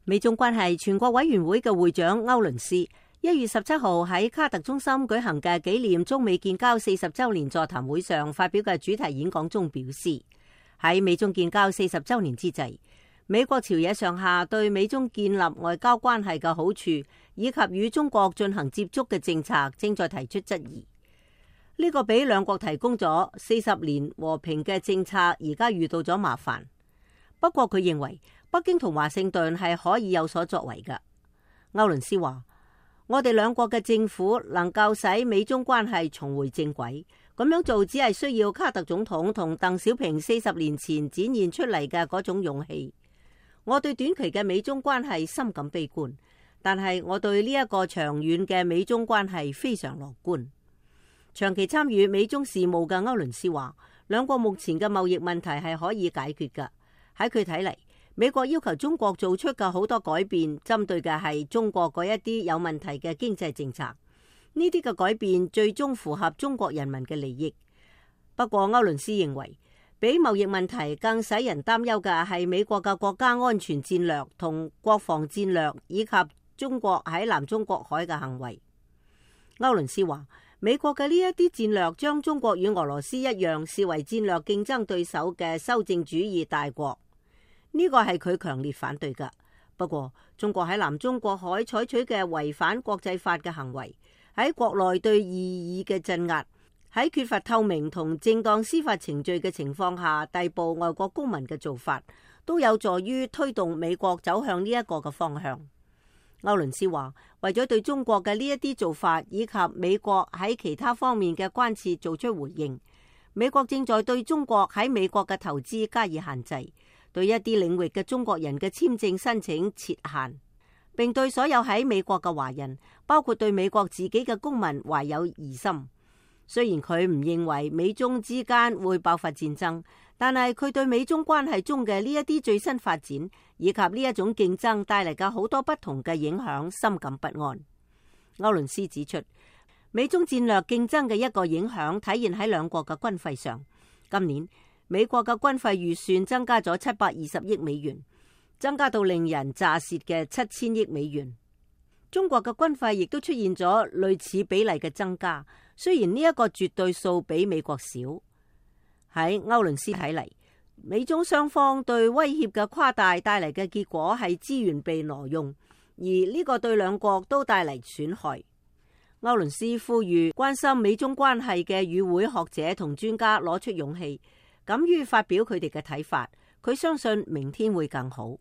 美中關係全國委員會嘅會長歐倫斯1月17號喺卡特中心舉行嘅紀念中美建交40週年座談會上發表嘅主題演講中表示，喺美中建交40週年之際，美國朝野上下對美中建立外交關係嘅好處以及與中國進行接觸嘅政策正在提出質疑。呢個俾兩國提供咗40年和平嘅政策，而家遇到咗麻煩。不過佢認為北京同華盛頓係可以有所作為嘅。歐倫斯話：我哋兩國嘅政府能夠使美中關係重回正軌，咁樣做只係需要卡特總統同鄧小平40年前展現出嚟嘅嗰種勇氣。我對短期嘅美中關係深感悲觀，但係我對呢一個長遠嘅美中關係非常樂觀。長期參與美中事務嘅歐倫斯話，兩國目前嘅貿易問題係可以解決㗎。喺佢睇嚟，美國要求中國做出嘅好多改變，針對嘅係中國嗰一啲有問題嘅經濟政策。呢啲嘅改變最終符合中國人民嘅利益。不過歐倫斯認為，比貿易問題更使人擔憂嘅係美國嘅國家安全戰略同國防戰略，以及中國喺南中國海嘅行為。歐倫斯話，美國嘅呢一啲戰略將中國與俄羅斯一樣視為戰略競爭對手嘅修正主義大國，呢個係佢強烈反對㗎。不過中國喺南中國海採取嘅違反國際法嘅行為，喺國內對異議嘅鎮壓，喺缺乏透明同正當司法程序嘅情況下逮捕外國公民嘅做法，都有助於推動美國走向呢一個嘅方向。歐倫斯話，為咗對中國嘅呢一啲做法以及美國喺其他方面嘅關切做出回應，美國正在對中國喺美國嘅投資加以限制，對一啲領域嘅中國人嘅簽證申請設限，並對所有喺美國嘅華人，包括對美國自己嘅公民懷有疑心。雖然佢唔認為美中之間會爆發戰爭，但係佢對美中關係中嘅呢一啲最新發展以及呢一種競爭帶嚟嘅好多不同嘅影響深感不安。歐倫斯指出，美中戰略競爭嘅一個影響體現喺兩國嘅軍費上。今年美國嘅軍費預算增加咗720億美元，增加到令人咋舌嘅7000億美元。中國嘅軍費亦都出現咗類似比例嘅增加，雖然呢一個絕對數比美國少。喺歐倫斯睇嚟，美中雙方對威脅嘅誇大帶嚟嘅結果係資源被挪用，而呢個對兩國都帶嚟損害。歐倫斯呼籲關心美中關係嘅與會學者同專家攞出勇氣，敢於發表佢哋嘅睇法。佢相信明天會更好。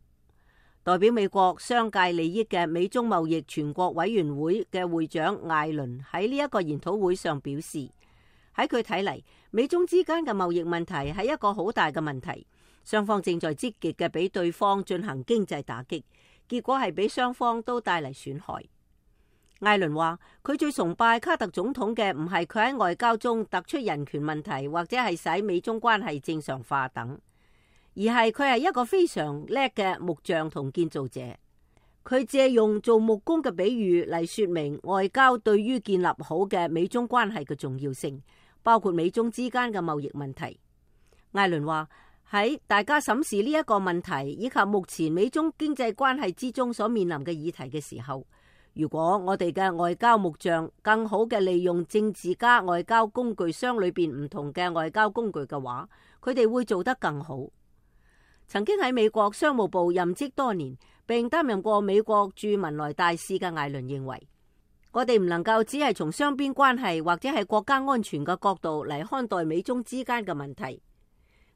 代表美國商界利益嘅美中貿易全國委員會嘅會長艾倫喺呢一個研討會上表示，喺佢睇嚟，美中之間嘅貿易問題係一個好大嘅問題，雙方正在積極嘅俾對方進行經濟打擊，結果係俾雙方都帶嚟損害。艾倫話，佢最崇拜卡特總統嘅唔係佢喺外交中突出人權問題，或者係使美中關係正常化等，而係佢係一個非常叻嘅木匠同建造者。佢借用做木工嘅比喻嚟說明外交對於建立好嘅美中關係嘅重要性，包括美中之間嘅貿易問題。艾倫話，喺大家審視呢一個問題以及目前美中經濟關係之中所面臨嘅議題嘅時候，如果我哋嘅外交木匠更好嘅利用政治家外交工具箱裏邊唔同嘅外交工具嘅話，佢哋會做得更好。曾經喺美國商務部任職多年，並擔任過美國駐文萊大使嘅艾倫認為，我哋唔能夠只係從雙邊關係或者係國家安全嘅角度嚟看待美中之間嘅問題。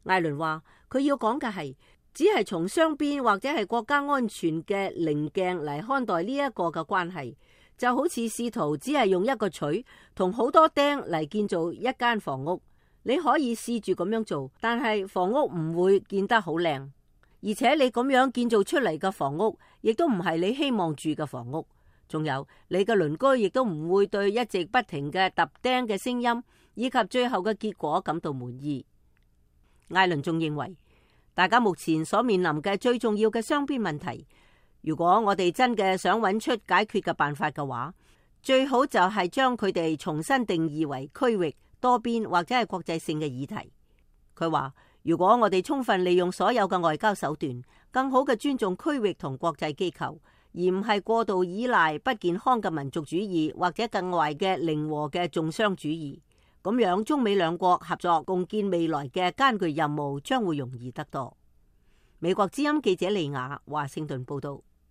艾倫話，佢要講嘅係只係從雙邊或者係國家安全嘅棱鏡嚟看待呢一個嘅關係，就好似試圖只係用一個錘同好多釘嚟建造一間房屋。你可以試住咁樣做，但係房屋唔會建得好靚，而且你咁樣建造出嚟嘅房屋亦都唔係你希望住嘅房屋。仲有你嘅鄰居亦都唔會對一直不停嘅揼釘嘅聲音以及最後嘅結果感到滿意。艾倫仲認為，大家目前所面臨嘅最重要嘅雙邊問題，如果我哋真嘅想揾出解決嘅辦法嘅話，最好就係將佢哋重新定義為區域、多邊或者係國際性嘅議題。佢話，如果我哋充分利用所有嘅外交手段，更好嘅尊重區域同國際機構，而唔係過度依賴不健康嘅民族主義或者更壞嘅零和嘅重商主義，咁樣中美兩國合作共建未來嘅艱巨任務將會容易得多。美國之音記者利雅華盛頓報道。